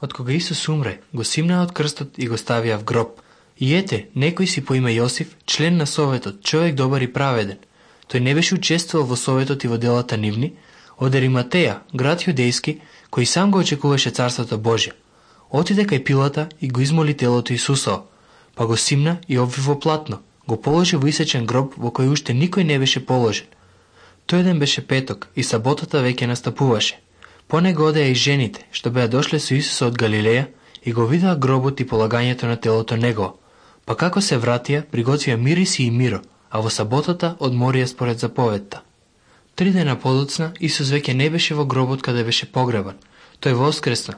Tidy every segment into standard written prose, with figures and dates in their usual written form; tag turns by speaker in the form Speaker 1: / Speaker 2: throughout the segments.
Speaker 1: Од кога Исус умре, го симнаа од крстот и го ставија в гроб. И ете, некој си по име Јосиф, член на советот, човек добар и праведен. Тој не беше учествувал во советот и во делата нивни, од Ариматеја, град јудејски, кој сам го очекуваше царството Божје. Отиде кај Пилата и го измоли телото Исусово, па го симна и обви во платно, го положи во исечен гроб во кој уште никој не беше положен. Тој ден беше петок и саботата веќе настапуваше. По него одеа и жените, што беа дошле со Исуса од Галилеја и го видеа гробот и полагањето на телото негово. Па како се вратија, приготвија мириси и миро, а во саботата одморија според заповедта. 3 дена подоцна Исус веќе не беше во гробот каде беше погребан. Тој воскресна.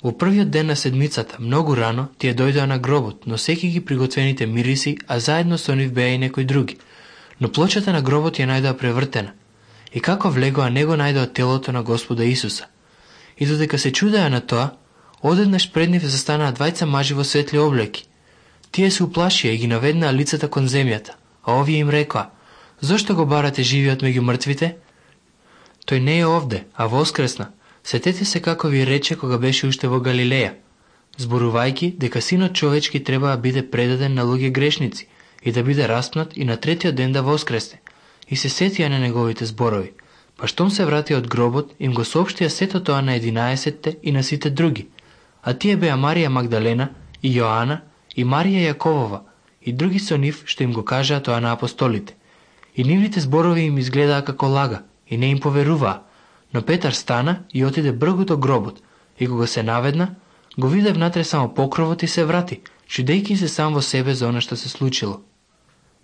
Speaker 1: Во првиот ден на седмицата, многу рано, тие дојдоа на гробот, носејќи ги приготвените мириси, а заедно со нив беа и некои други. Но плочата на гробот ја најдоа превртена. И како влегоа, не го најдоа телото на Господа Исуса. И додека се чудеа на тоа, одеднаш пред нив застанаа двајца мажи во светли облеки. Тие се уплашија и ги наведнаа лицата кон земјата, а овие им рекоа: "Зошто го барате живиот меѓу мртвите? Тој не е овде, а воскресна. Сетете се како ви рече кога беше уште во Галилеја, зборувајќи дека Синот човечки треба да биде предаден на луѓе грешници и да биде распнат и на третиот ден да воскресне." И се сетија на неговите зборови. Па штом се врати од гробот, им го соопштија сето тоа на 11 и на сите други. А тие беа Марија Магдалена и Јоана и Марија Јаковова и други со нив што им го кажаа тоа на апостолите. И нивните зборови им изгледаа како лага и не им поверуваа. Но Петар стана и отиде бргу до гробот и кога се наведна, го виде внатре само покровот и се врати, чудејќи се сам во себе за она што се случило.